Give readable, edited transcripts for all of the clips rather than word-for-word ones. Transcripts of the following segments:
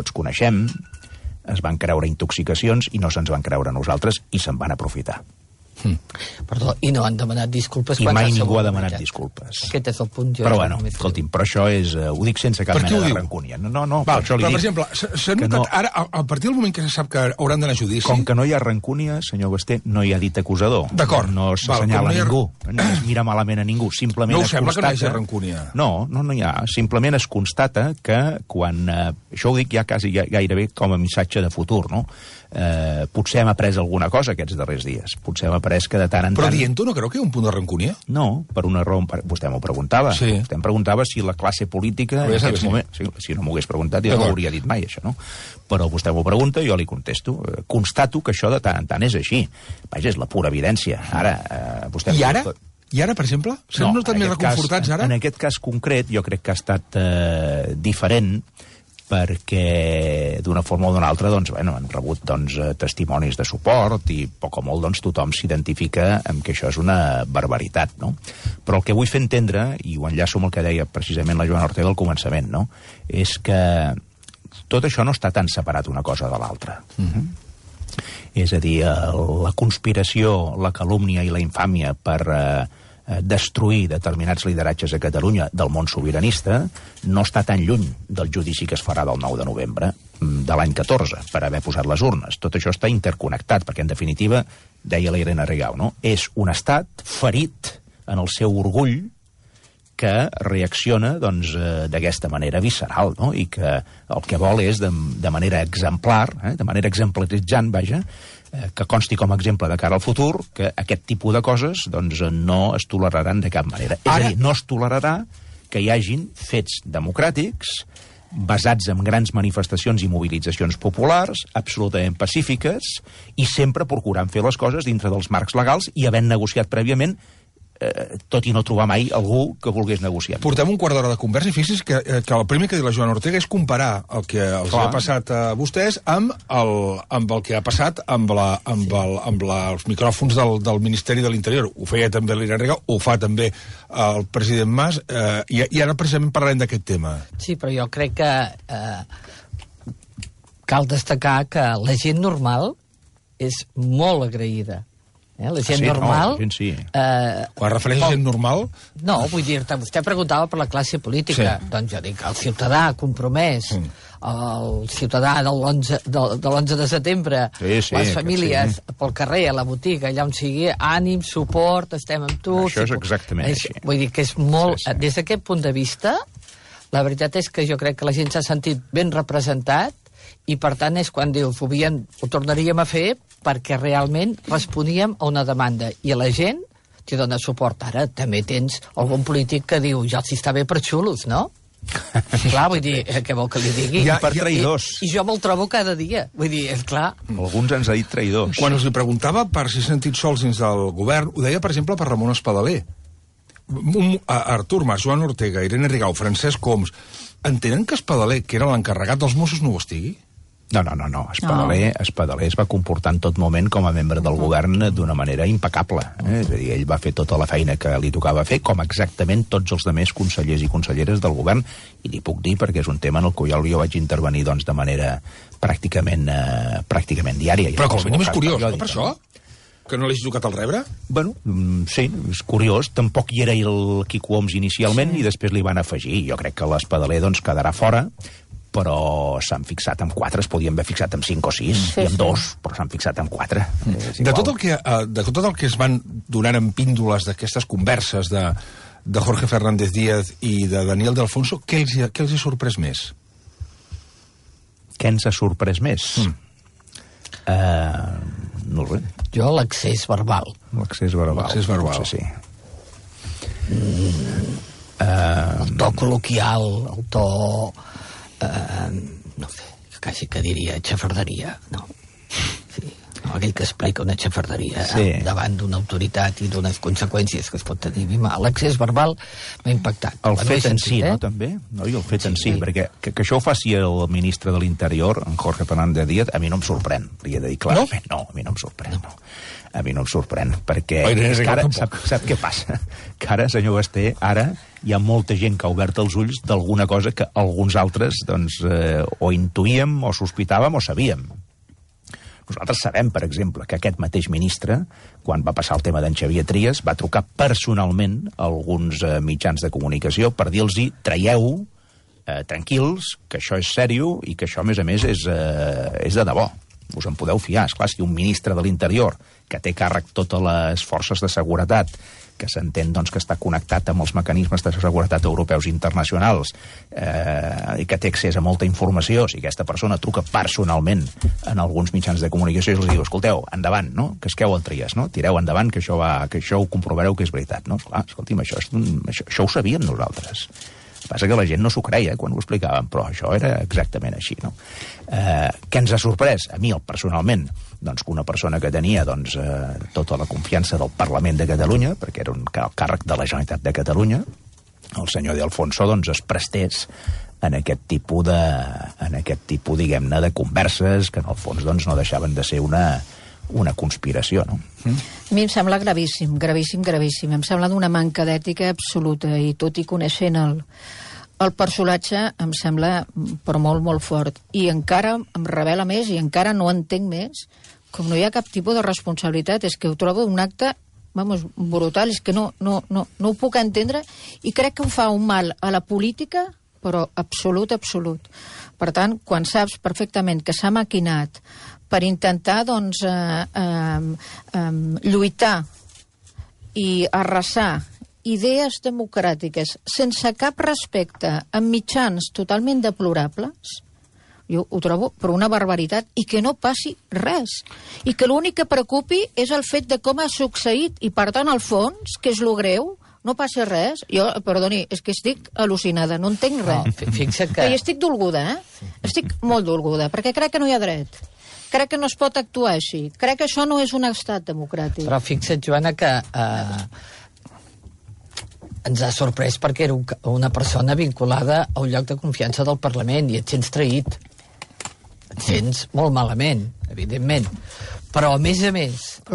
tots coneixem, es van creure intoxicacions i no se'ns van creure a nosaltres i se'n van aprofitar. Perdó, i no han demanat disculpes I mai ningú ha demanat disculpes. Aquest és el punt. Però bueno, escolti'm, però això és... Ho dic sense cap mena de rancúnia. No, Val, això li però, dic... per exemple, s'ha notat ara, a partir del moment que se sap que hauran d'anar a judici... Com que no hi ha rancúnia, senyor Basté, no hi ha dit acusador. D'acord. No s'assenyala ningú, no es mira malament a ningú. Simplement no us sembla que no hi hagi rancúnia? No hi ha. Simplement es constata que quan... Això ho dic ja quasi gairebé com a missatge de futur, no? Potser hem après alguna cosa aquests darrers dies. Potser hem après que de tant en tant... Però dient-ho no creu que hi ha un punt de rancúnia? No, per una raó... Vostè m'ho preguntava. Sí. Vostè em preguntava si la classe política... En aquests moments, si no m'ho hagués preguntat, jo no ho hauria dit mai, això, no? Però vostè m'ho pregunta, jo li contesto. Constato que això de tant en tant és així. Vaja, és la pura evidència. Ara, vostè... I ara? I ara, per exemple? S'han notat més reconfortats ara? En aquest cas concret, jo crec que ha estat diferent, perquè d'una forma o d'una altra doncs, bueno, han rebut testimonis de suport i poc o molt doncs, tothom s'identifica amb que això és una barbaritat, no? Però el que vull fer entendre, i ho enllaço amb el que deia precisament la Joana Ortega al començament, no? És que tot això no està tan separat una cosa de l'altra. És a dir, la conspiració, la calúmnia i la infàmia per destruir determinats lideratges a Catalunya del món sobiranista no està tan lluny del judici que es farà del 9 de novembre de l'any 14 per haver posat les urnes. Tot això està interconnectat, perquè en definitiva, deia la Irene Rigau, no? És un estat ferit en el seu orgull que reacciona doncs, d'aquesta manera visceral, no? I que el que vol és de manera exemplar, de manera exemplaritzant, vaja, que consti com a exemple de cara al futur que aquest tipus de coses doncs, no es toleraran de cap manera. És a dir, no es tolerarà que hi hagin fets democràtics basats en grans manifestacions i mobilitzacions populars, absolutament pacífiques, i sempre procurant fer les coses dintre dels marcs legals i havent negociat prèviament, tot i no trobar mai algú que volgués negociar. Portem un quart d'hora de conversa i fixi's que el primer que diu la Joana Ortega és comparar el que els ha passat a vostès amb el que ha passat amb els micròfons del Ministeri de l'Interior. Ho feia també l'Irene Rigau, ho fa també el president Mas, i ara precisament parlarem d'aquest tema. Sí, però jo crec que cal destacar que la gent normal és molt agraïda. La gent normal... No, la gent sí. Quan refereix a gent normal... No, vull dir-te, vostè preguntava per la classe política. Sí. Doncs jo dic, el ciutadà compromès, el ciutadà de l'11 de setembre, les famílies pel carrer, a la botiga, allà on sigui, ànim, suport, estem amb tu... Això és exactament així. Vull dir que és molt... Des d'aquest punt de vista, la veritat és que jo crec que la gent s'ha sentit ben representat i, per tant, és quan diu, ho tornaríem a fer perquè realment responíem a una demanda. I a la gent t'hi dona suport. Ara també tens algun polític que diu, ja els està bé per xulos, no? Clar, vull dir, què vol que li digui? I per traïdors. I jo me'l trobo cada dia. Vull dir, és clar... Alguns ens ha dit traïdors. Quan us li preguntava per si s'ha sentit sols dins del govern, ho deia, per exemple, per Ramon Espadaler. Artur Mas, Joan Ortega, Irene Rigau, Francesc Homs, entenen que Espadaler, que era l'encarregat dels Mossos, no ho estigui? No. Espadaler es va comportar en tot moment com a membre del govern d'una manera impecable. És a dir, ell va fer tota la feina que li tocava fer, com exactament tots els altres consellers i conselleres del govern, i li puc dir perquè és un tema en el qual jo vaig intervenir doncs, de manera pràcticament diària. Però com a mínim és curiós, no, per això? Que no l'hagi tocat al rebre? Bueno, sí, és curiós. Tampoc hi era el Quico Homs inicialment i després li van afegir. Jo crec que l'Espadaler doncs, quedarà fora, però s'han fixat en 4, es podien haver fixat en 5 o 6, i en 2, però s'han fixat en 4. De tot el que es van donant en píndoles d'aquestes converses de Jorge Fernández Díaz i de Daniel de Alfonso, què els ha sorprès més? Què ens ha sorprès més? No sé. Jo l'accés verbal. L'accés verbal. Potser sí. El to col·loquial, el to... no sé, quasi que diria xafarderia, no? Sí, aquell que explica una xafarderia davant d'una autoritat i d'unes conseqüències que es pot tenir. L'accés verbal m'ha impactat. El fet en si, no, també? No, i el fet en si, perquè que això ho faci el ministre de l'Interior, en Jorge Fernández Díaz, a mi no em sorprèn, li he de dir clarament. No, a mi no em sorprèn, no. A mi no em sorprèn, perquè és que ara, sap què passa? Que ara, senyor Basté, ara hi ha molta gent que ha obert els ulls d'alguna cosa que alguns altres doncs, o intuïem, o sospitàvem, o sabíem. Nosaltres sabem, per exemple, que aquest mateix ministre, quan va passar el tema d'en Xavier Trias, va trucar personalment a alguns mitjans de comunicació per dir-los traieu, tranquils, que això és sèrio i que això, a més, és de debò. Us en podeu fiar. Esclar, si un ministre de l'Interior, que té càrrec totes les forces de seguretat, que s'entén doncs, que està connectat amb els mecanismes de seguretat europeus i internacionals i que té accés a molta informació, si aquesta persona truca personalment en alguns mitjans de comunicació i els diu, escolteu, endavant, no? Que esqueu el Trias, no? Tireu endavant, que això ho comprovareu que és veritat, no? Esclar, escolti'm, això ho sabíem nosaltres. El que passa que la gent no s'ho creia quan ho explicàvem, però això era exactament així, no? Què ens ha sorprès? A mi, personalment, doncs, que una persona que tenia doncs, tota la confiança del Parlament de Catalunya, perquè era un càrrec de la Generalitat de Catalunya, el senyor De Alfonso doncs, es prestés en aquest tipus, diguem-ne, de converses que, en el fons, doncs, no deixaven de ser una conspiració, no? A mi em sembla gravíssim, gravíssim, gravíssim. Em sembla d'una manca d'ètica absoluta, i tot i coneixent el personatge, em sembla però molt, molt fort. I encara em revela més, i encara no entenc més, com no hi ha cap tipus de responsabilitat. És que ho trobo un acte, brutal, és que no ho puc entendre, i crec que ho fa un mal a la política, però absolut, absolut. Per tant, quan saps perfectament que s'ha maquinat per intentar, doncs, lluitar i arrasar idees democràtiques sense cap respecte, amb mitjans totalment deplorables, jo ho trobo per una barbaritat, i que no passi res. I que l'únic que preocupi és el fet de com ha succeït, i per tant, al fons, que és lo greu, no passa res. Jo, perdoni, és que estic al·lucinada, no entenc res. No, fixa't que... I estic dolguda, Estic molt dolguda, perquè crec que no hi ha dret. Crec que no es pot actuar així. Crec que això no és un estat democràtic. Però fixa't, Joana, que ens ha sorprès perquè era una persona vinculada a un lloc de confiança del Parlament i et sents traït. Et sents molt malament, evidentment. Però, a més, el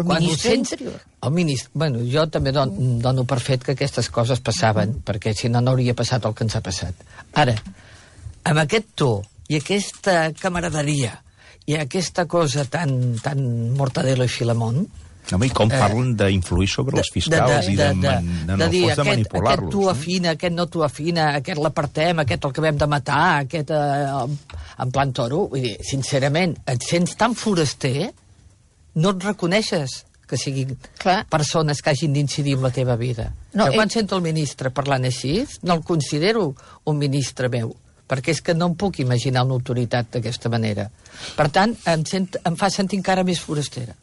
ministre Interior. El ministre... Bueno, jo també dono per fet que aquestes coses passaven, perquè si no, no hauria passat el que ens ha passat. Ara, amb aquest to i aquesta camaraderia i aquesta cosa tan Mortadelo i Filemón... Home, i com parlen d'influir sobre els fiscals i de Aquest manipular-los. tu afina, aquest no tu afina, aquest l'apartem, aquest el acabem de matar, aquest en plan toro. Vull dir, sincerament, et sents tan foraster, no et reconeixes que siguin persones que hagin d'incidir en la teva vida. No, quan sento el ministre parlant així, no el considero un ministre meu, perquè és que no em puc imaginar una autoritat d'aquesta manera. Per tant, em fa sentir encara més forastera.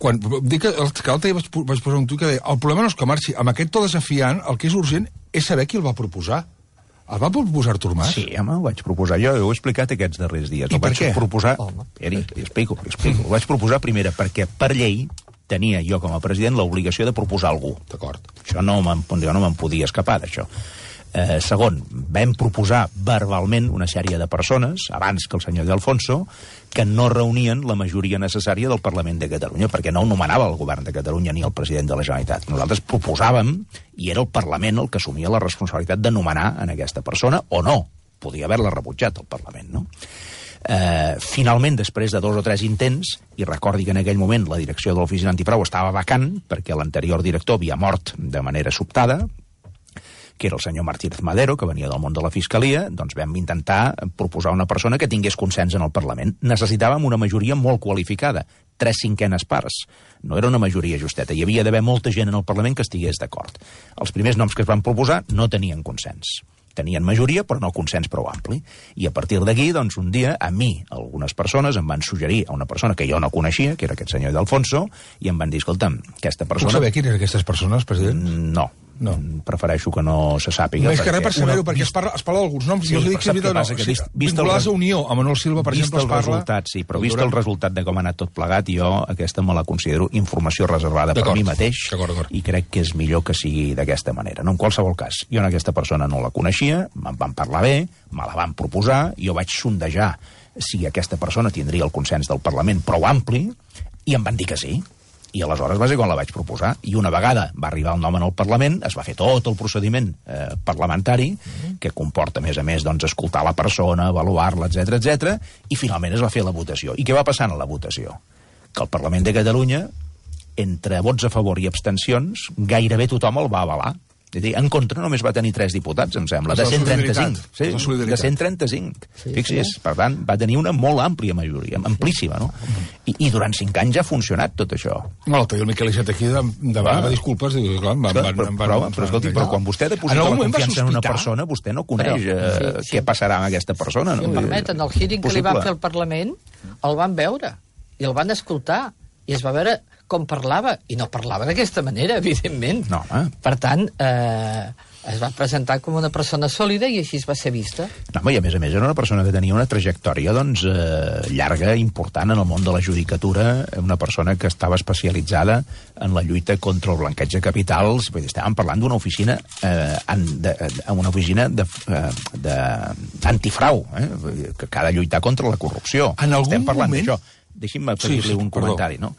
Quan dic que l'altre dia vaig posar un tuit que deia el problema no és que marxi, amb aquest to desafiant el que és urgent és saber qui el va proposar. El va proposar Artur Mas? Sí, home, ho vaig proposar jo, ho he explicat aquests darrers dies. I per què? Li explico. Ho vaig proposar primera perquè per llei tenia jo com a president l'obligació de proposar algú. D'acord. Jo no me'n podia escapar d'això. Segon, vam proposar verbalment una sèrie de persones, abans que el senyor De Alfonso, que no reunien la majoria necessària del Parlament de Catalunya, perquè no ho nomenava el govern de Catalunya ni el president de la Generalitat. Nosaltres proposàvem, i era el Parlament el que assumia la responsabilitat de nomenar en aquesta persona, o no. Podia haver-la rebutjat el Parlament, no? Finalment, després de 2 o 3 intents, i recordi que en aquell moment la direcció de l'oficina antifrau estava vacant, perquè l'anterior director havia mort de manera sobtada, que era el senyor Martínez Madero, que venia del món de la Fiscalia, doncs vam intentar proposar una persona que tingués consens en el Parlament. Necessitàvem una majoria molt qualificada, 3/5 parts. No era una majoria justeta, hi havia d'haver molta gent en el Parlament que estigués d'acord. Els primers noms que es van proposar no tenien consens. Tenien majoria, però no consens prou ampli. I a partir d'aquí, doncs, un dia, a mi, algunes persones em van suggerir a una persona que jo no coneixia, que era aquest senyor De Alfonso, i em van dir, escolta'm, aquesta persona... Puc saber quines eren aquestes persones, president? No. Prefereixo que no se sàpiga. No és que res per saber-ho, perquè es parla d'alguns noms. Jo us dic vinculades a Unió, a Manuel Silva, per exemple, es parla... Sí, però vist el resultat de com ha anat tot plegat, jo aquesta me la considero informació reservada per mi mateix, i crec que és millor que sigui d'aquesta manera. No, en qualsevol cas, jo en aquesta persona no la coneixia, me'n van parlar bé, me la van proposar, jo vaig sondejar si aquesta persona tindria el consens del Parlament prou ampli, i em van dir que sí. I aleshores va ser quan la vaig proposar. I una vegada va arribar el nom en el Parlament, es va fer tot el procediment parlamentari, que comporta, a més, doncs, escoltar la persona, avaluar-la, etc, i finalment es va fer la votació. I què va passar a la votació? Que el Parlament de Catalunya, entre vots a favor i abstencions, gairebé tothom el va avalar. És a dir, en contra només va tenir 3 diputats, em sembla, de 135. Sí, de 135. Fixi's, per tant, va tenir una molt àmplia majoria, amplíssima, no? I durant 5 anys ja ha funcionat tot això. No, l'altre dia el Miquel Iceta aquí demana disculpes, diu, clar, però escolti, però quan vostè deposita la confiança en una persona, vostè no coneix què passarà amb aquesta persona. Si em permeten, el hearing que li van fer al Parlament el van veure, i el van escoltar, i es va veure com parlava, i no parlava d'aquesta manera, evidentment. No, per tant, es va presentar com una persona sòlida i així es va ser vista. No, i a més era una persona que tenia una trajectòria doncs, llarga, important en el món de la judicatura, una persona que estava especialitzada en la lluita contra el blanqueig de capitals. Estàvem parlant d'una oficina d'antifrau, que ha de lluitar contra la corrupció. En algun moment... Deixi'm fer-li un comentari, no?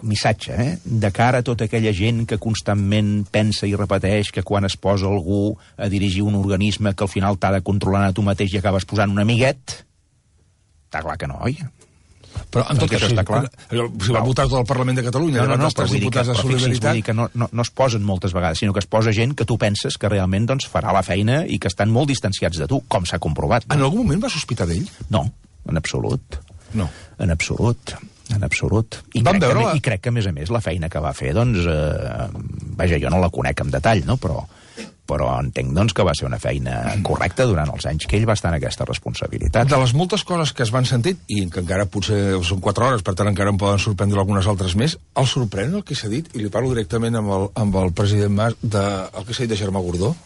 Missatge, de cara a tota aquella gent que constantment pensa i repeteix que quan es posa algú a dirigir un organisme que al final t'ha de controlar a tu mateix i acabes posant un amiguet, està clar que no, oi? Però en tot cas, està clar. Si va votar tot el Parlament de Catalunya, no, però vull dir que no es posen moltes vegades, sinó que es posa gent que tu penses que realment doncs, farà la feina i que estan molt distanciats de tu, com s'ha comprovat. En algun moment va sospitar d'ell? No, en absolut. No. En absolut. I crec que, a més, la feina que va fer, doncs, vaja, jo no la conec en detall, no? Però entenc, doncs, que va ser una feina correcta durant els anys que ell va estar en aquesta responsabilitat. De les moltes coses que es van sentir, i que encara potser són 4 hores, per tant encara em poden sorprendre algunes altres més, el sorprèn el que s'ha dit, i li parlo directament amb el president Mas, el que s'ha dit de Germà Gordó?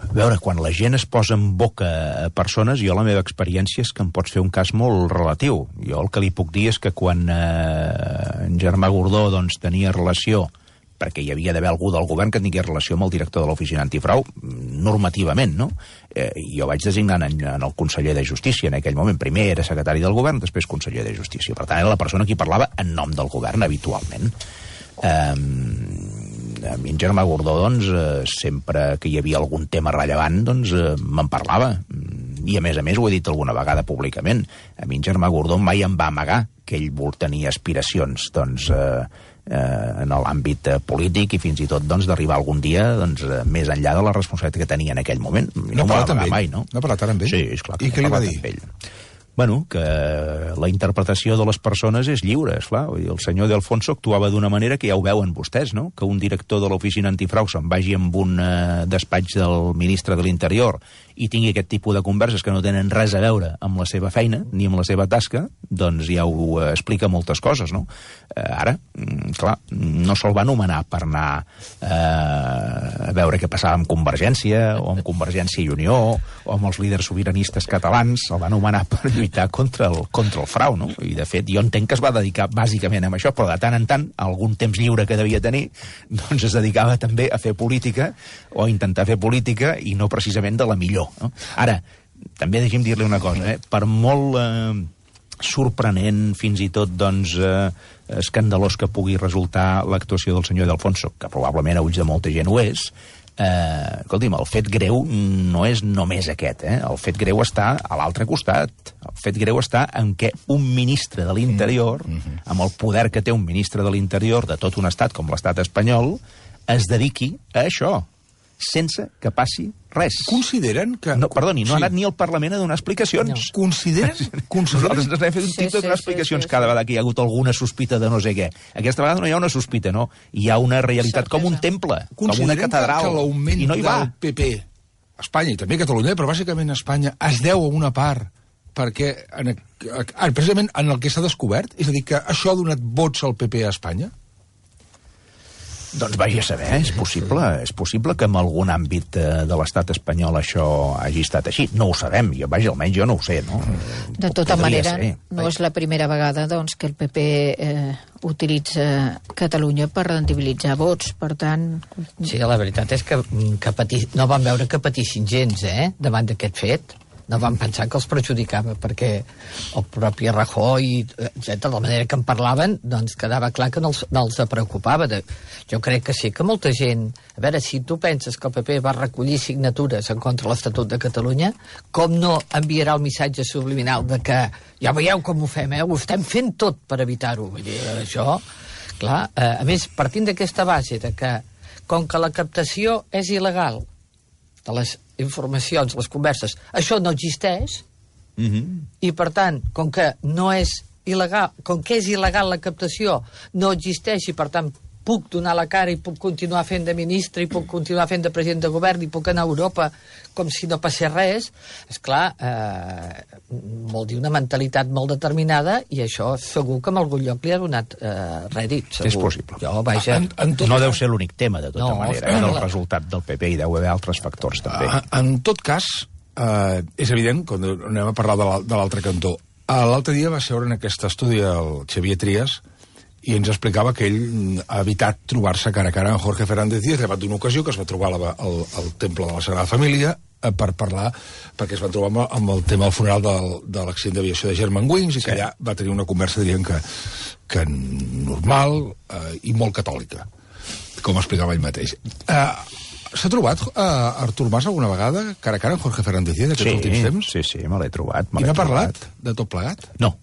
A veure, quan la gent es posa en boca a persones, jo la meva experiència és que em pots fer un cas molt relatiu. Jo el que li puc dir és que quan en Germà Gordó doncs, tenia relació, perquè hi havia d'haver algú del govern que tingués relació amb el director de l'Oficina Antifrau, normativament, no? Jo vaig designar en el conseller de Justícia en aquell moment. Primer era secretari del govern, després conseller de Justícia. Per tant, era la persona qui parlava en nom del govern, habitualment. A mi en Germà Gordó, doncs, sempre que hi havia algun tema rellevant, doncs, me'n parlava. I, a més, ho he dit alguna vegada públicament. A mi en Germà Gordó mai em va amagar que ell tenia aspiracions, doncs, en l'àmbit polític i fins i tot, doncs, d'arribar algun dia, doncs, més enllà de la responsabilitat que tenia en aquell moment. No ha parlat amb ell? Mai, no? No ha parlat ara amb ell? Sí, esclar. I què li va dir? Bueno, que la interpretació de les persones és lliure, esclar. El senyor De Alfonso actuava d'una manera que ja ho veuen vostès, no? Que un director de l'Oficina Antifrau se'n vagi amb un despatx del ministre de l'Interior i tingui aquest tipus de converses que no tenen res a veure amb la seva feina ni amb la seva tasca, doncs ja ho explica moltes coses, no? Ara, clar, no se'l va anomenar per anar a veure què passava amb Convergència o amb Convergència i Unió o amb els líders sobiranistes catalans, se'l va anomenar per lluitar contra el frau, no? I, de fet, jo entenc que es va dedicar bàsicament a això, però de tant en tant, algun temps lliure que devia tenir, doncs es dedicava també a fer política o a intentar fer política i no precisament de la millor. No? Ara, també deixi'm dir-li una cosa, per molt sorprenent, fins i tot doncs, escandalós que pugui resultar l'actuació del senyor De Alfonso, que probablement a ulls de molta gent ho és, escolti'm, el fet greu no és només aquest, el fet greu està a l'altre costat. El fet greu està en què un ministre de l'Interior, amb el poder que té un ministre de l'Interior de tot un estat com l'estat espanyol, es dediqui a això, sense que passi res. Consideren que... No, perdoni, no ha anat ni al Parlament a donar explicacions. No. Consideren? Nosaltres ens hem fet un tip de donar explicacions cada vegada que hi ha hagut alguna sospita de no sé què. Aquesta vegada no hi ha una sospita, no. Hi ha una realitat com un temple, com una catedral. Consideren que l'augment del PP a Espanya, i també a Catalunya, però bàsicament a Espanya, es deu a una part perquè precisament en el que s'ha descobert, és a dir, que això ha donat vots al PP a Espanya? Doncs vagi a saber, és possible que en algun àmbit de l'estat espanyol això hagi estat així. No ho sabem, almenys jo no ho sé, no? De tota manera, no és la primera vegada doncs, que el PP utilitza Catalunya per rendibilitzar vots, per tant... Sí, la veritat és que no van veure que patissin gens, davant d'aquest fet. no van pensar que els perjudicava, perquè el propi Rajoy, etc., de la manera que en parlaven, doncs quedava clar que no els preocupava. Jo crec que sí, que molta gent... A veure, si tu penses que el PP va recollir signatures en contra de l'Estatut de Catalunya, com no enviarà el missatge subliminal de que ja veieu com ho fem, ho estem fent tot per evitar-ho? Vull dir, això, clar, a més, partint d'aquesta base de que, com que la captació és il·legal de les informacions, les converses, això no existeix, i per tant, com que no és il·legal, com que és il·legal la captació, no existeix i per tant puc donar la cara i puc continuar fent de ministre i puc continuar fent de president de govern i puc anar a Europa com si no passés res, esclar, vol dir una mentalitat molt determinada, i això segur que en algun lloc li ha donat rèdit, segur. És possible. Jo, vaja... No deu ser l'únic tema, de tota manera, del resultat del PP, i deu haver altres factors, també. En tot cas, és evident, quan anem a parlar de l'altre cantó, l'altre dia va seure en aquest estudi el Xavier Trias, i ens explicava que ell ha evitat trobar-se cara a cara amb Jorge Fernández Díaz davant d'una ocasió que es va trobar al temple de la Sagrada Família per parlar, perquè es va trobar amb el tema del funeral de l'accident d'aviació de Germanwings, i que allà va tenir una conversa, diríem que normal i molt catòlica, com explicava ell mateix. S'ha trobat Artur Mas alguna vegada cara a cara amb Jorge Fernández Díaz aquests últims temps? Sí, me l'he trobat. I n'ha parlat de tot plegat? No.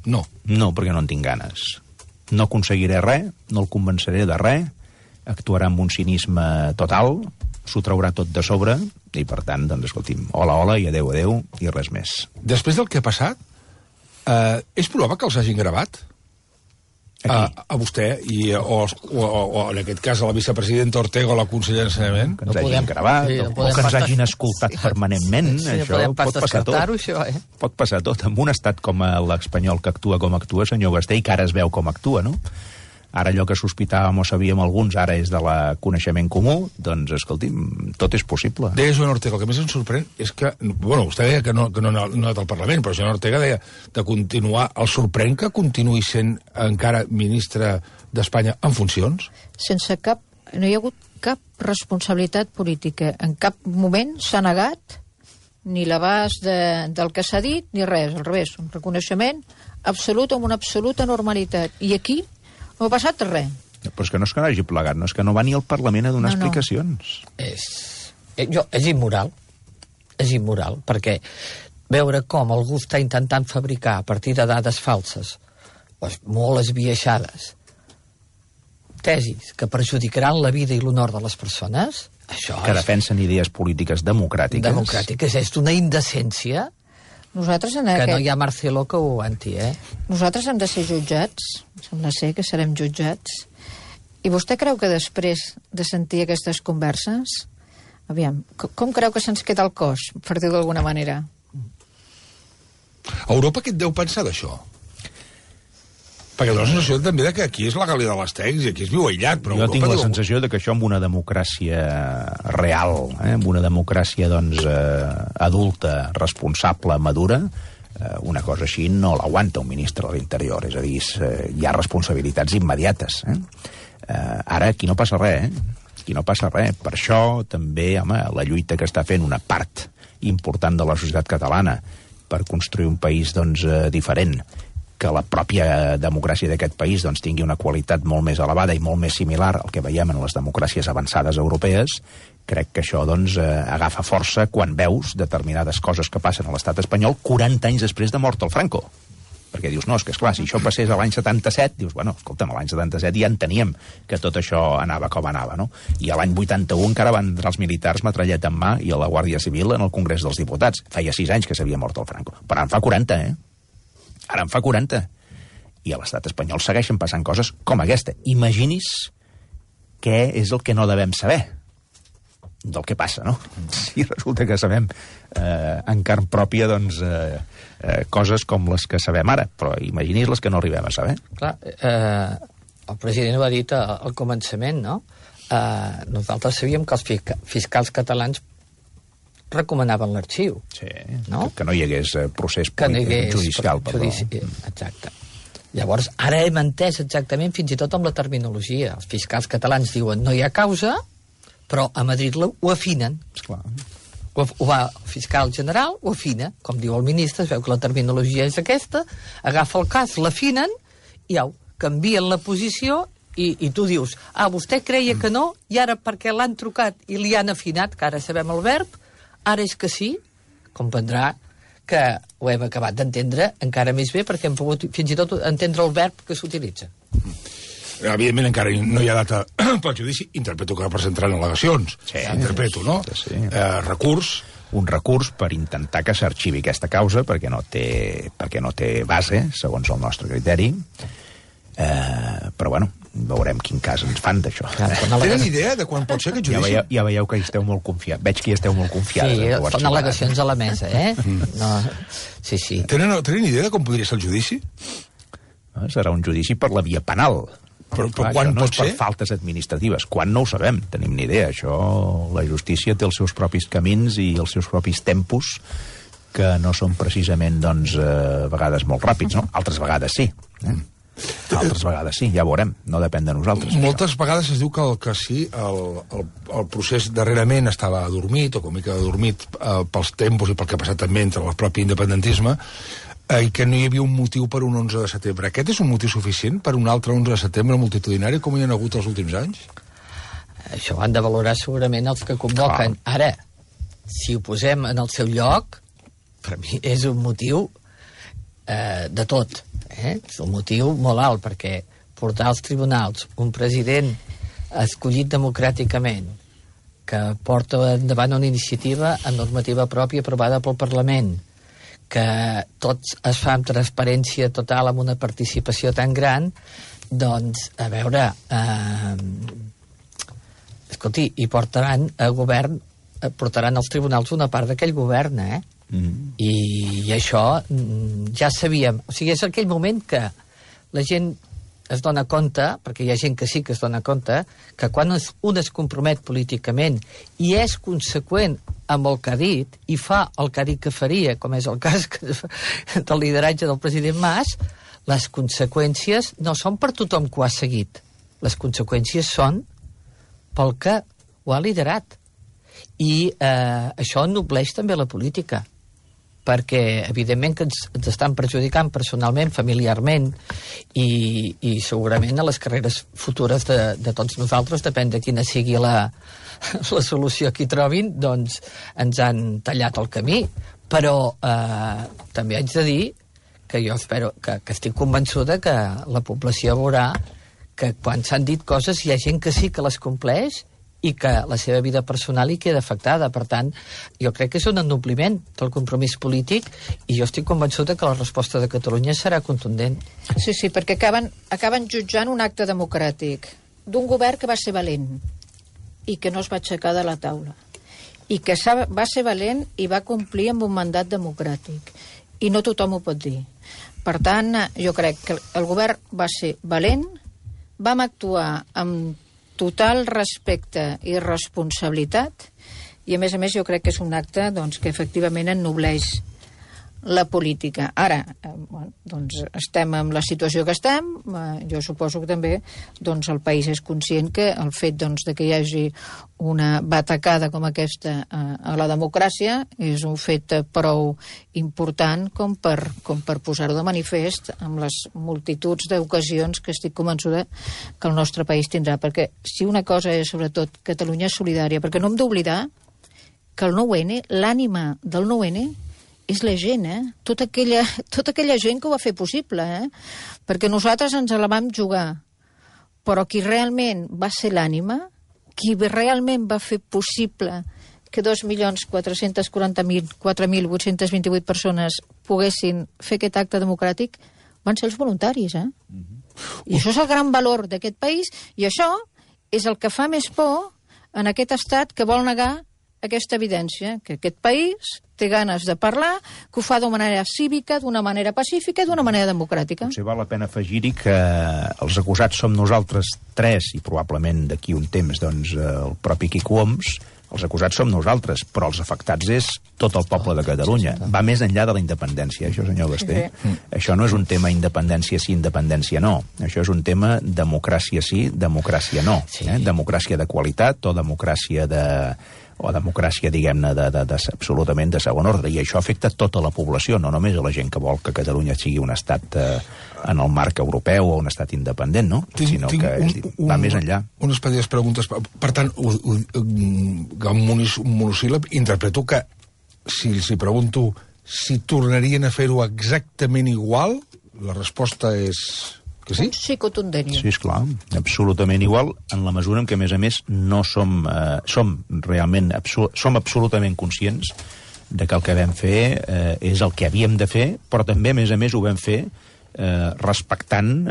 No, perquè no en tinc ganes. No aconseguiré res, no el convenceré de res, actuarà amb un cinisme total, s'ho traurà tot de sobre, i per tant, doncs, escolti'm, hola, i adeu, i res més. Després del que ha passat, és probable que els hagin gravat? A vostè, o en aquest cas a la vicepresidenta Ortega o la consellera d'Ensenyament? Que ens hagin gravat, o que ens hagin escoltat permanentment, això pot passar tot. Pot passar tot. En un estat com l'espanyol que actua com actua, senyor Basté, i que ara es veu com actua, no? Ara allò que sospitàvem o sabíem alguns, ara és de la coneixement comú, doncs, escolti'm, tot és possible. Deia Joan Ortega, el que més ens sorprèn és que, bueno, vostè deia que no ha anat al Parlament, però Joan Ortega deia de continuar, el sorprèn que continuï sent encara ministre d'Espanya en funcions? Sense cap, no hi ha hagut cap responsabilitat política. En cap moment s'ha negat ni l'abast del que s'ha dit, ni res, al revés, un reconeixement absolut, amb una absoluta normalitat. I aquí no ha passat res. Però és que no és que no hagi plegat, no és que no va ni al Parlament a donar explicacions. És immoral. És immoral, perquè veure com algú està intentant fabricar a partir de dades falses, molt esbiaixades, tesis que perjudicaran la vida i l'honor de les persones, això que defensen idees polítiques democràtiques. Democràtiques, és d'una indecència. Nosaltres que no hi ha Marcelo que ho aguanti, Nosaltres hem de ser jutjats, sembla ser que serem jutjats, i vostè creu que després de sentir aquestes converses, aviam, com creu que se'ns queda el cos, per dir-ho d'alguna manera? Europa què et deu pensar d'això? Perquè dona la sensació també que aquí és la Gàlia de l'Estecs i aquí es viu aïllat, però jo tinc la sensació de que això amb una democràcia real, amb una democràcia doncs adulta, responsable, madura, una cosa així no l'aguanta un ministre de l'Interior, és a dir, hi ha responsabilitats immediates. Ara aquí no passa res, aquí no passa res. Per això també, home, la lluita que està fent una part important de la societat catalana per construir un país doncs diferent, que la pròpia democràcia d'aquest país doncs, tingui una qualitat molt més elevada i molt més similar al que veiem en les democràcies avançades europees, crec que això doncs, agafa força quan veus determinades coses que passen a l'estat espanyol 40 anys després de mort el Franco. Perquè dius, no, és que esclar, si això passés a l'any 77, dius, bueno, escolta'm, a l'any 77 ja enteníem que tot això anava com anava, no? I a l'any 81 encara van entrar els militars metrallet en mà i a la Guàrdia Civil en el Congrés dels Diputats. Feia 6 anys que s'havia mort el Franco. Però en fa 40, Ara en fa 40. I a l'estat espanyol segueixen passant coses com aquesta. Imagini's què és el que no devem saber del que passa, no? Si resulta que sabem en carn pròpia, doncs, coses com les que sabem ara, però imagini's les que no arribem a saber. Clar, el president ho ha dit al començament, no? Nosaltres sabíem que els fiscals catalans recomanaven l'arxiu. Sí, no? Que no hi hagués procés judicial. Exacte. Llavors, ara hem entès exactament, fins i tot amb la terminologia. Els fiscals catalans diuen no hi ha causa, però a Madrid ho afinen. Esclar. ho va el fiscal general, ho afina, com diu el ministre, es veu que la terminologia és aquesta, agafa el cas, l'afinen, i au, canvien la posició, i tu dius, vostè creia que no, i ara perquè l'han trucat i li han afinat, que ara sabem el verb, ara és que sí, comprendrà que ho hem acabat d'entendre encara més bé, perquè hem pogut fins i tot entendre el verb que s'utilitza. Evidentment encara no hi ha data pel judici, interpreto que presentaran al·legacions, interpreto, no? Sí. Recurs. Un recurs per intentar que s'arxivi aquesta causa, perquè no té base, segons el nostre criteri, però bueno, veurem quin cas ens fan d'això. Tenen idea de quan pot ser aquest judici? Ja veieu que hi esteu molt confiats. Veig que hi esteu molt confiats. Sí, són al·legacions a la mesa, No. Sí. Tenen idea de com podria ser el judici? Serà un judici per la via penal. Però quan no pot és per ser? faltes administratives. Quan no ho sabem, tenim ni idea. Això, la justícia té els seus propis camins i els seus propis tempos, que no són precisament, doncs, a vegades molt ràpids, no? Altres vegades sí. Altres vegades sí, ja ho veurem, no depèn de nosaltres. Moltes vegades es diu que sí, el procés darrerament estava adormit, o com mica adormit pels tempos i pel que ha passat també entre el propi independentisme, i que no hi havia un motiu per un 11 de setembre. Aquest és un motiu suficient per un altre 11 de setembre multitudinari com hi ha hagut els últims anys? Això ho han de valorar segurament els que convoquen. Ara, si ho posem en el seu lloc, per mi és un motiu de tot. És un motiu molt alt, perquè portar als tribunals un president escollit democràticament que porta endavant una iniciativa amb normativa pròpia aprovada pel Parlament, que tots es fa amb transparència total, amb una participació tan gran, doncs, a veure, escolti, i portaran als tribunals una part d'aquell govern, I això ja sabíem. O sigui, és aquell moment que la gent es dona compte, perquè hi ha gent que sí que es dona compte, que quan un es compromet políticament i és conseqüent amb el que ha dit i fa el que ha dit que faria, com és el cas del lideratge del president Mas, les conseqüències no són per tothom que ho ha seguit. Les conseqüències són pel que ho ha liderat. I això ennobleix també la política, perquè evidentment que ens estan perjudicant personalment, familiarment i segurament a les carreres futures de tots nosaltres, depèn de quina sigui la solució que hi trobin, doncs ens han tallat el camí. Però també haig de dir que jo espero que estic convençuda que la població veurà que quan s'han dit coses hi ha gent que sí que les compleix i que la seva vida personal hi queda afectada. Per tant, jo crec que és un ennobliment del compromís polític i jo estic convençuda que la resposta de Catalunya serà contundent. Sí, perquè acaben jutjant un acte democràtic d'un govern que va ser valent i que no es va aixecar de la taula i que va ser valent i va complir amb un mandat democràtic. I no tothom ho pot dir. Per tant, jo crec que el govern va ser valent, vam actuar amb total respecte i responsabilitat i a més jo crec que és un acte doncs, que efectivament ennobleix la política. Ara, doncs estem en la situació que estem, jo suposo que també doncs, el país és conscient que el fet doncs, de que hi hagi una batacada com aquesta a la democràcia és un fet prou important com per posar-ho de manifest amb les multituds d'ocasions que estic convençuda que el nostre país tindrà, perquè si una cosa és sobretot Catalunya solidària, perquè no hem d'oblidar que el 9-N, l'ànima del 9-N és la gent, tota aquella gent que ho va fer possible, perquè nosaltres ens la vam jugar, però qui realment va ser l'ànima, qui realment va fer possible que 2.440.000 persones poguessin fer aquest acte democràtic van ser els voluntaris, I això és el gran valor d'aquest país, i això és el que fa més por en aquest estat que vol negar aquesta evidència, que aquest país té ganes de parlar, que ho fa d'una manera cívica, d'una manera pacífica i d'una manera democràtica. Potser val la pena afegir-hi que els acusats som nosaltres tres, i probablement d'aquí un temps doncs, el propi Quico Homs, els acusats som nosaltres, però els afectats és tot el poble de Catalunya. Va més enllà de la independència, això, senyor Basté. Això no és un tema independència sí, independència no. Això és un tema democràcia sí, democràcia no. Democràcia de qualitat o democràcia democràcia, diguem-ne, absolutament de segon ordre. I això afecta tota la població, no només a la gent que vol que Catalunya sigui un estat en el marc europeu o un estat independent, no? Sinó que va més enllà. Unes petites preguntes. Per tant, un monosíl·lab, interpreto que, si els pregunto si tornarien a fer-ho exactament igual, la resposta és... que sí? Sí, contundent. Sí, esclar, absolutament igual, en la mesura en què, a més, no som absolutament conscients de que el que vam fer és el que havíem de fer, però també, a més, ho vam fer respectant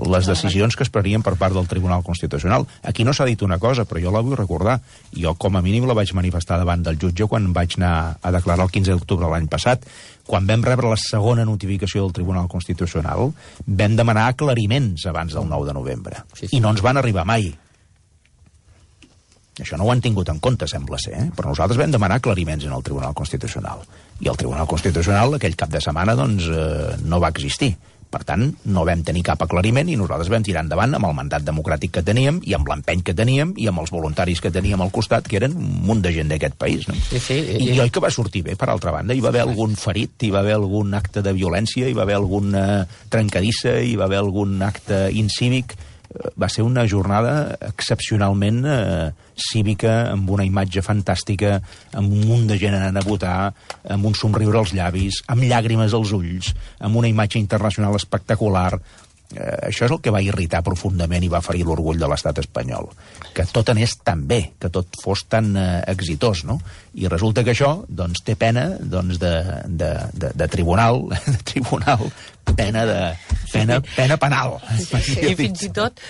les decisions que es prenien per part del Tribunal Constitucional. Aquí no s'ha dit una cosa, però jo la vull recordar. Jo, com a mínim, la vaig manifestar davant del jutge quan vaig anar a declarar el 15 d'octubre de l'any passat. Quan vam rebre la segona notificació del Tribunal Constitucional, vam demanar aclariments abans del 9 de novembre. I no ens van arribar mai. Això no ho han tingut en compte, sembla ser, però nosaltres vam demanar aclariments en el Tribunal Constitucional. I el Tribunal Constitucional, aquell cap de setmana, doncs, no va existir. Per tant, no vam tenir cap aclariment i nosaltres vam tirar endavant amb el mandat democràtic que teníem i amb l'empeny que teníem i amb els voluntaris que teníem al costat, que eren un munt de gent d'aquest país. No? I oi que va sortir bé, per altra banda. Hi va haver algun ferit, hi va haver algun acte de violència, hi va haver alguna trencadissa, hi va haver algun acte incívic. Va ser una jornada excepcionalment cívica, amb una imatge fantàstica, amb un munt de gent anant a votar, amb un somriure als llavis, amb llàgrimes als ulls, amb una imatge internacional espectacular. Això és el que va irritar profundament i va ferir l'orgull de l'estat espanyol. Que tot anés tan bé, que tot fos tan exitós, no? I resulta que això, doncs, té pena de tribunal, pena penal. I fins i tot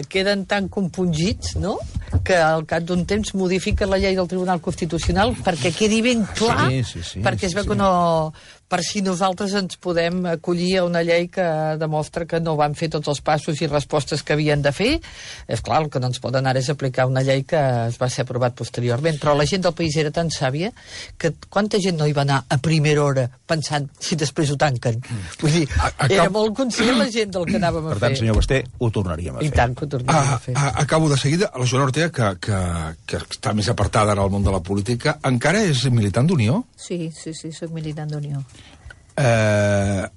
queden tan compungits, no?, que al cap d'un temps modifiquen la llei del Tribunal Constitucional perquè quedi ben clar, perquè es veu que no... Per si nosaltres ens podem acollir a una llei que demostra que no van fer tots els passos i respostes que havien de fer. És clar, el que no ens poden ara és aplicar una llei que es va ser aprovat posteriorment. Però la gent del país era tan sàvia que quanta gent no hi va anar a primera hora pensant si després ho tanquen. Vull dir, era molt conscient la gent del que anàvem a fer. Per tant, senyor Basté, ho tornaríem a fer. I tant que ho tornaríem a fer. Acabo de seguida. La Joana Ortega, que està més apartada en el món de la política, encara és militant d'Unió? Sí, soc militant d'Unió.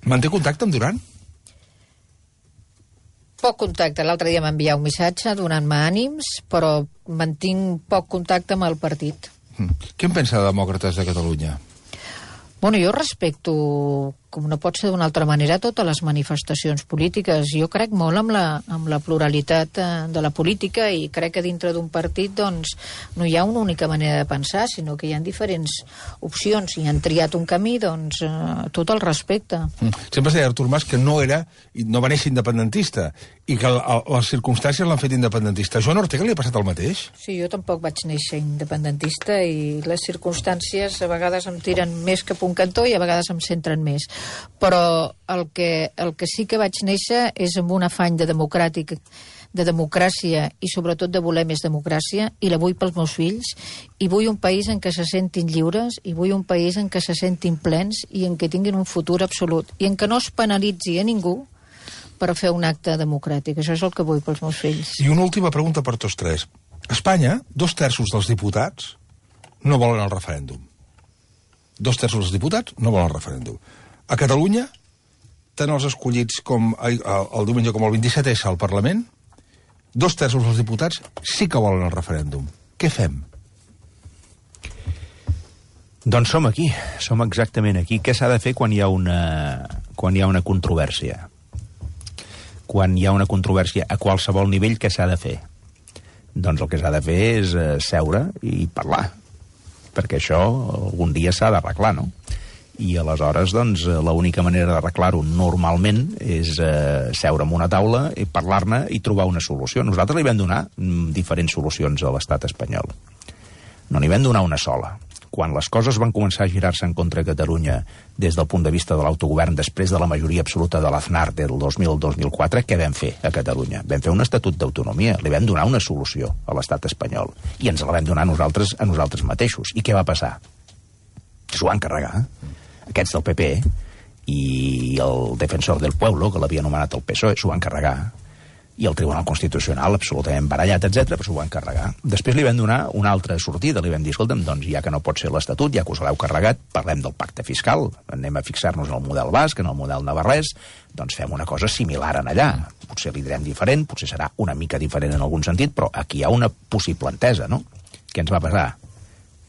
Manté contacte amb Duran? Poc contacte. L'altre dia m'envià un missatge donant-me ànims, però mantinc poc contacte amb el partit. Què en pensa de Demòcrates de Catalunya? Bueno, jo respecto, com no pot ser d'una altra manera, totes les manifestacions polítiques. Jo crec molt amb la pluralitat de la política i crec que dintre d'un partit doncs, no hi ha una única manera de pensar, sinó que hi ha diferents opcions i han triat un camí, doncs tot el respecte. Sempre es deia Artur Mas que no va néixer independentista i que les circumstàncies l'han fet independentista. A Joan Ortega li ha passat el mateix? Sí, jo tampoc vaig néixer independentista i les circumstàncies a vegades em tiren més cap un cantó i a vegades em centren més. Però el que sí que vaig néixer és amb un afany de democràcia i sobretot de voler més democràcia, i la vull pels meus fills, i vull un país en què se sentin lliures, i vull un país en què se sentin plens i en què tinguin un futur absolut, i en què no es penalitzi a ningú per fer un acte democràtic. Això és el que vull pels meus fills. I una última pregunta per tots tres. A Espanya, 2/3 dels diputats no volen el referèndum. 2/3 dels diputats no volen el referèndum. A Catalunya, tant els escollits com el diumenge com el 27S al Parlament, 2/3 dels diputats sí que volen el referèndum. Què fem? Doncs som aquí, som exactament aquí. Què s'ha de fer quan hi ha una controvèrsia? Quan hi ha una controvèrsia a qualsevol nivell, què s'ha de fer? Doncs el que s'ha de fer és seure i parlar, perquè això algun dia s'ha d'arreglar, no? I aleshores, doncs, l'única manera d'arreglar-ho normalment és seure en una taula i parlar-ne i trobar una solució. Nosaltres li vam donar diferents solucions a l'estat espanyol. No n'hi vam donar una sola. Quan les coses van començar a girar-se en contra de Catalunya des del punt de vista de l'autogovern després de la majoria absoluta de l'Aznar del 2000-2004, què vam fer a Catalunya? Vam fer un estatut d'autonomia, li vam donar una solució a l'estat espanyol i ens la vam donar a nosaltres mateixos. I què va passar? S'ho van carregar. Aquests del PP i el defensor del pueblo, que l'havia anomenat el PSOE, s'ho van carregar. i el Tribunal Constitucional absolutament barallat, etc, però s'ho van carregar. Després li vam donar una altra sortida, li vam dir, escolta'm, doncs ja que no pot ser l'Estatut, ja que us l'heu carregat, parlem del pacte fiscal, anem a fixar-nos en el model basc, en el model navarrès, doncs fem una cosa similar en allà. Potser li direm diferent, potser serà una mica diferent en algun sentit, però aquí hi ha una possible entesa, no? Què ens va passar?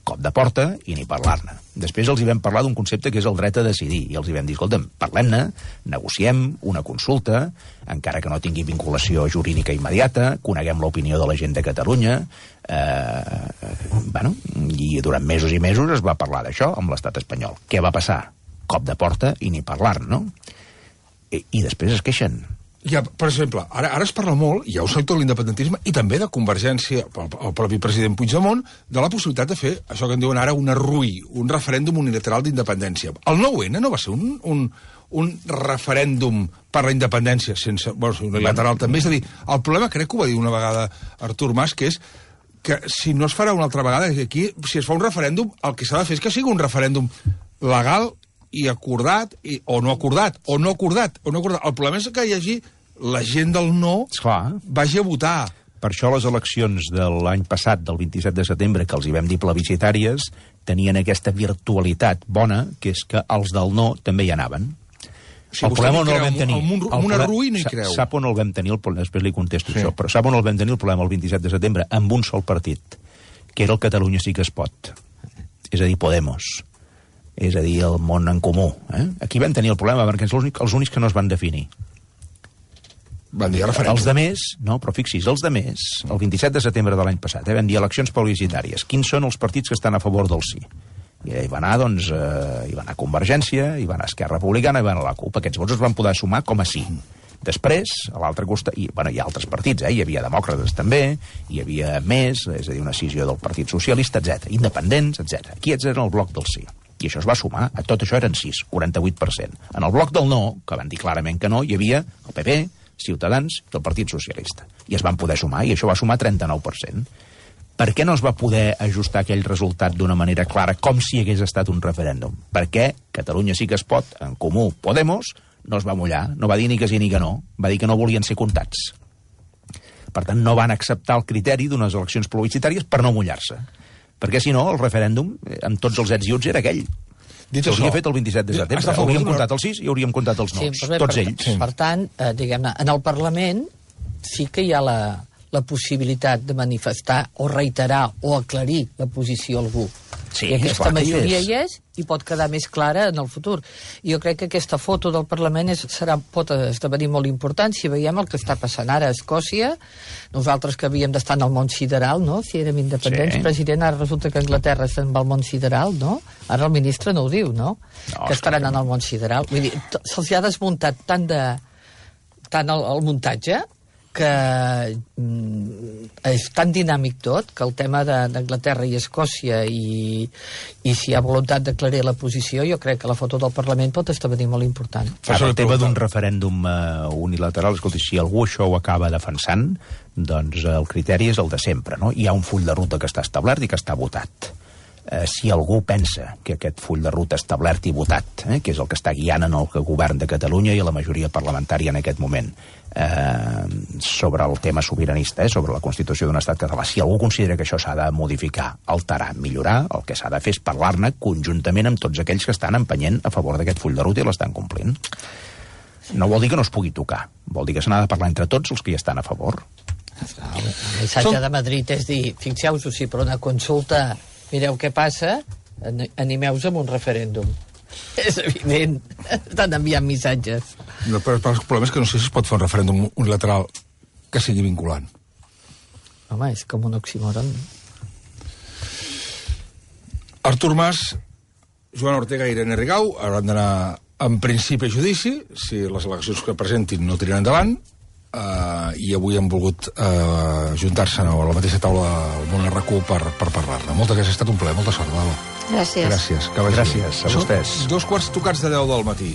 Cop de porta i ni parlar-ne. Després els hi vam parlar d'un concepte que és el dret a decidir, i els hi vam dir, escolta'm, parlem-ne, negociem una consulta, encara que no tingui vinculació jurídica immediata, coneguem l'opinió de la gent de Catalunya, i durant mesos i mesos es va parlar d'això amb l'estat espanyol. Què va passar? Cop de porta i ni parlar-ne, no? I després es queixen. Ja, per exemple, ara es parla molt, hi ha un sector de l'independentisme i també de Convergència, el propi president Puigdemont, de la possibilitat de fer això que en diuen ara una RUI, un referèndum unilateral d'independència. El 9-N no va ser un referèndum per la independència, sense, unilateral també. És a dir, el problema, crec que ho va dir una vegada Artur Mas, que és que si no es farà una altra vegada, aquí, si es fa un referèndum, el que s'ha de fer és que sigui un referèndum legal i acordat, o no acordat. El problema és que hi hagi la gent del no vagi a votar. Per això les eleccions de l'any passat, del 27 de setembre, que els hi vam dir plebiscitàries, tenien aquesta virtualitat bona, que és que els del no també hi anaven. Si el problema no el vam tenir. Una RUI no hi creu. Sap on el vam tenir, després li contesto això, però sap on el vam tenir el problema el 27 de setembre? Amb un sol partit, que era el Catalunya sí que es pot. És a dir, Podemos. És a dir, el món en comú. Aquí vam tenir el problema, perquè són els únics que no es van definir. Van dir referèndum. Els de més, no, però fixis, els de més, el 27 de setembre de l'any passat, vam dir eleccions plebiscitàries. Quins són els partits que estan a favor del sí? I hi va anar, doncs, hi va anar Convergència, hi va anar Esquerra Republicana, hi va anar la CUP. Aquests vots es van poder sumar com a sí. Després, a l'altre costat, hi ha altres partits, hi havia demòcrates també, hi havia més, és a dir, una escissió del Partit Socialista, etc, independents, etc. Aquí eren el bloc del sí. I això es va sumar, a tot això eren 6, 48%. En el bloc del no, que van dir clarament que no, hi havia el PP, Ciutadans i el Partit Socialista. I es van poder sumar, i això va sumar 39%. Per què no es va poder ajustar aquell resultat d'una manera clara, com si hagués estat un referèndum? Perquè Catalunya sí que es pot, en Comú, Podemos, no es va mullar, no va dir ni que sí ni que no, va dir que no volien ser comptats. Per tant, no van acceptar el criteri d'unes eleccions plebiscitàries per no mullar-se. Perquè, si no, el referèndum, amb tots els ets i uts, era aquell. S'hauria fet el 27 de setembre. Hauríem comptat els 6 i hauríem comptat els 9. Tots ells. Per tant, diguem-ne, en el Parlament sí que hi ha la possibilitat de manifestar o reiterar o aclarir la posició a algú. Sí, i aquesta majoria hi és i pot quedar més clara en el futur. I jo crec que aquesta foto del Parlament pot esdevenir molt important si veiem el que està passant ara a Escòcia. Nosaltres que havíem d'estar en el món sideral, no? Si érem independents, president, ara resulta que Anglaterra se'n va al món sideral, no? Ara el ministre no ho diu, no? Que estaran en el món sideral. Vull dir, se'ls ha desmuntat tant el muntatge que és tan dinàmic tot, que el tema d'Anglaterra i Escòcia i si hi ha voluntat d'aclarir la posició, jo crec que la foto del Parlament pot esdevenir molt important. El tema d'un referèndum unilateral, escolti, si algú això ho acaba defensant, doncs el criteri és el de sempre, no? Hi ha un full de ruta que està establert i que està votat. Si algú pensa que aquest full de ruta establert i votat, que és el que està guiant en el govern de Catalunya i a la majoria parlamentària en aquest moment, sobre el tema sobiranista, sobre la Constitució d'un estat català, si algú considera que això s'ha de modificar, alterar, millorar, el que s'ha de fer és parlar-ne conjuntament amb tots aquells que estan empenyent a favor d'aquest full de ruta i l'estan complint. No vol dir que no es pugui tocar, vol dir que se n'ha de parlar entre tots els que hi estan a favor. El missatge de Madrid és dir, fixeu-vos, si per una consulta mireu què passa, animeu-vos amb un referèndum. És evident, estan enviant missatges. No, però el problema és que no sé si es pot fer un referèndum unilateral que sigui vinculant. Home, és com un oxímoron. Artur Mas, Joan Ortega i Irene Rigau hauran d'anar en principi a judici si les eleccions que presentin no tiren endavant, i avui han volgut juntar-se a la mateixa taula del món RQ per parlar-ne. Moltes gràcies, ha estat un plaer, molta sort, Val. Gràcies. Gràcies. Gràcies a vostès. Són 2:15 de 10 del matí.